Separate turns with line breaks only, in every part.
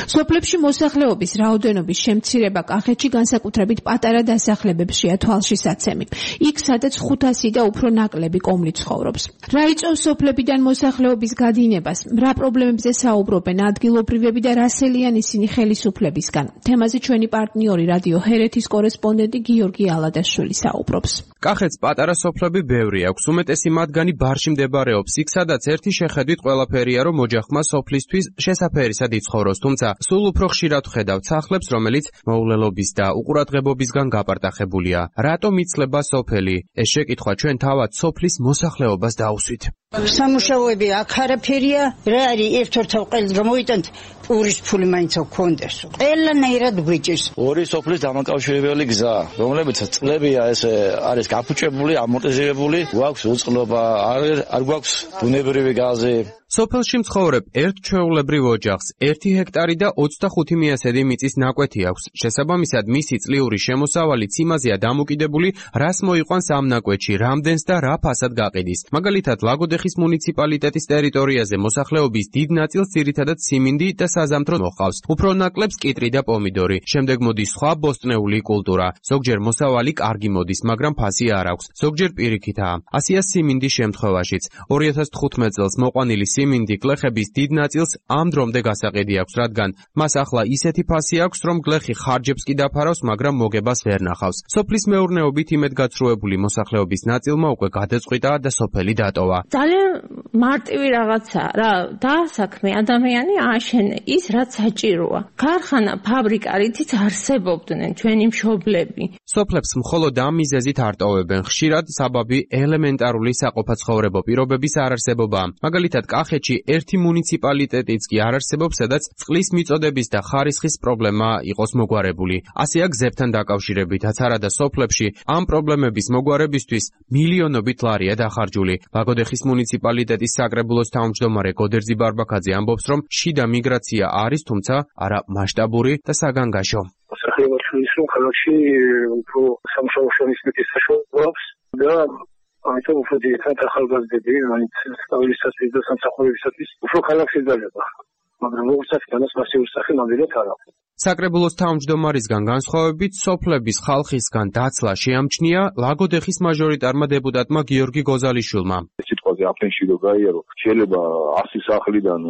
სოფლებში მოსახლეობის რაოდენობის შემცირება კახეთში განსაკუთრებით პატარა დასახლებებშია თვალშისაცემი. იქ სადაც 500 და უფრო ნაკლები კომლი ცხოვრობს. რა იწვევს სოფლებიდან მოსახლეობის გადინებას, რა პრობლემებზე საუბრობენ ადგილობრივები და რასელიან ისინი ხელისუფლებისგან. თემაზე ჩვენი პარტნიორი რადიო ჰერეთის კორესპონდენტი გიორგი ალადაშვილი საუბრობს.
კახეთს პატარა სოფლები ბევრი აქვს, უმეტესი მათგანი ბარში მდებარეობს, იქ სადაც ერთი შეხედვით ყველაფერია, რომ ოჯახმა სოფლისთვის შესაფერისად იცხოვროს, თუმცა სულ უფრო ხშირად ვხედავთ სახლებს, რომელიც მოულელობის და უყურადღებობისგან გაპარტახებულია. რატომ იცლება სოფელი? ეს შეკითხვა ჩვენ თავად სოფლის მოსახლეობას დაუსვით.
სამუშაოები აქ არაფერია, რა არის ერთ-ერთ ყველს გამოიტანთ პურის ფული მაინც გქონდეს. ყველანაირად გვიჭირს.
ორი სოფლის დამაკავშირებელი გზა, რომლებიც წლებია ეს არის გაფუჭებული, ამორტიზირებული, გვაქვს უწყლობა, არ გვაქვს ბუნებრივი გაზი.
სოფელში მცხოვრებ ერთ ჩვეულებრივ ოჯახს 1 ჰექტარი და 25 მიასედი მიწის ნაკვეთი აქვს. შესაბამისად, მისი წლიური შემოსავალიც იმაზეა დამოკიდებული, რას მოიყვანს ამ ნაკვეთში, რამდენს და რა ფასად გაყიდის. მაგალითად, ლაგოდეხის მუნიციპალიტეტის ტერიტორიაზე მოსახლეობის დიდ ნაწილს ძირითადად siმინდი და საზამთრო მოჰყავს. უფრო ნაკლებს კიტრი და პომიდორი. შემდეგ მოდის სხვა ბოსტნეული კულტურა. ზოგჯერ მოსავალი კარგი მოდის, მაგრამ ფასი არ აქვს. ზოგჯერ პირიქითაა. ასია siმინდის შემთხვევაშიც. 2015 წელს მოყვანილი siმინდი გლეხების დიდ ნაწილს ამ დრომდე გასაყიდი აქვს, რადგან მას ახლა ისეთი ფასი აქვს, რომ გლეხი ხარჯებს კი დაფარავს, მაგრამ მოგებას ვერ ნახავს. სოფლის მეურნეობით იმედგაცრუებული მოსახლეობის ნაწილმა უკვე გადაწყვიტა და სოფელი დატოვა.
ძალიან მარტივი რაღაცა რა, დაასაქმე ადამიანი ააშენე ის, რაც საჭიროა. ქარხანა, ფაბრიკა, რითიც არსებობდნენ ჩვენი მშობლები.
სოფლებს მხოლოდ ამ მიზეზით არ ტოვებენ. ხშირად საბაბი ელემენტარული საყოფაცხოვრებო პირობების არარსებობაა. მაგალითად, კახეთში ერთი მუნიციპალიტეტიც კი არ არსებობს, სადაც წყლის მიწოდების და ხარისხის პრობლემა იყოს მოგვარებული. ასეა გზებთან დაკავშირებითაც არადა სოფლებში ამ პრობლემების მოგვარებისთვის მილიონობით ლარია დახარჯული. ლაგოდეხის მუნიციპალიტეტის საკრებულოს თავმჯდომარე გოდერძი ბარბაქაძე ამბობს, რომ შიდა მიგრაცია არის, თუმცა არა მასშტაბური და საგანგაშო.
მოსახლეობაში ის რომ ქალაქში უფრო სამუშაო შრომისმეტის საშუალება აქვს და ამიტომ უფრო ძირითადად ახალგაზრდები, მაინც სწავლისათვის და სამსახურებისათვის უფრო ქალაქში დაძაბა. მაგრამ როგორც განას მასიური სახე ნამდვილად არ აქვს.
საკრებულოს თავმჯდომარისგან განსხვავებით, სოფლების ხალხისგან დაცლა შეამჩნია ლაგოდეხის მაჟორიტარმა დეპუტატმა გიორგი გოზალიშვილმა.
სიტყვაზე აფენში რო გაიარო, შეიძლება 100 სახლიდან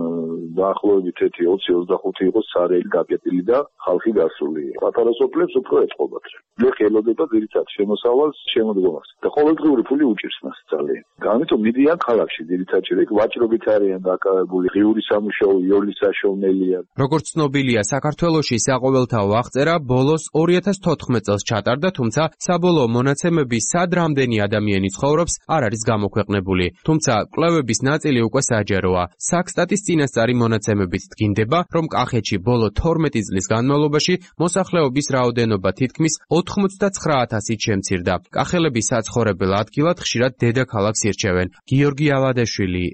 დაახლოებით 20-25 იყოს სარელი გაკეტილი და ხალხი გასული. პატარა სოფლებს უფრო ეწყობათ. გლეხი ელოდება ძირითადად შემოსავალს, შემოდგომას და ყოველდღიური ფული უჭირს მას ძალიან. ამიტომ მიდიან ქალაქში ძირითადად ეგ ვაჭრობით არიან დაკავებული, ღიური სამუშაო, იოლის საშოვნელია.
როგორც ცნობილია, საქართველოში საყოველთაო აღწერა ბოლოს 2014 წელს ჩატარდა, თუმცა საბოლოო მონაცემები სად რამდენი ადამიანი ცხოვრობს არ არის გამოქვეყნებული. თუმცა კვლევების ნაწილი უკვე საჯაროა. საქსტატის წინასწარი მონაცემებით დგინდება, რომ კახეთში ბოლო 12 წლის განმავლობაში მოსახლეობის რაოდენობა თითქმის 99,000-ით შემცირდა. კახელები საცხოვრებელ ადგილად ხშირად დედაქალაქს ირჩევენ. გიორგი ალადაშვილი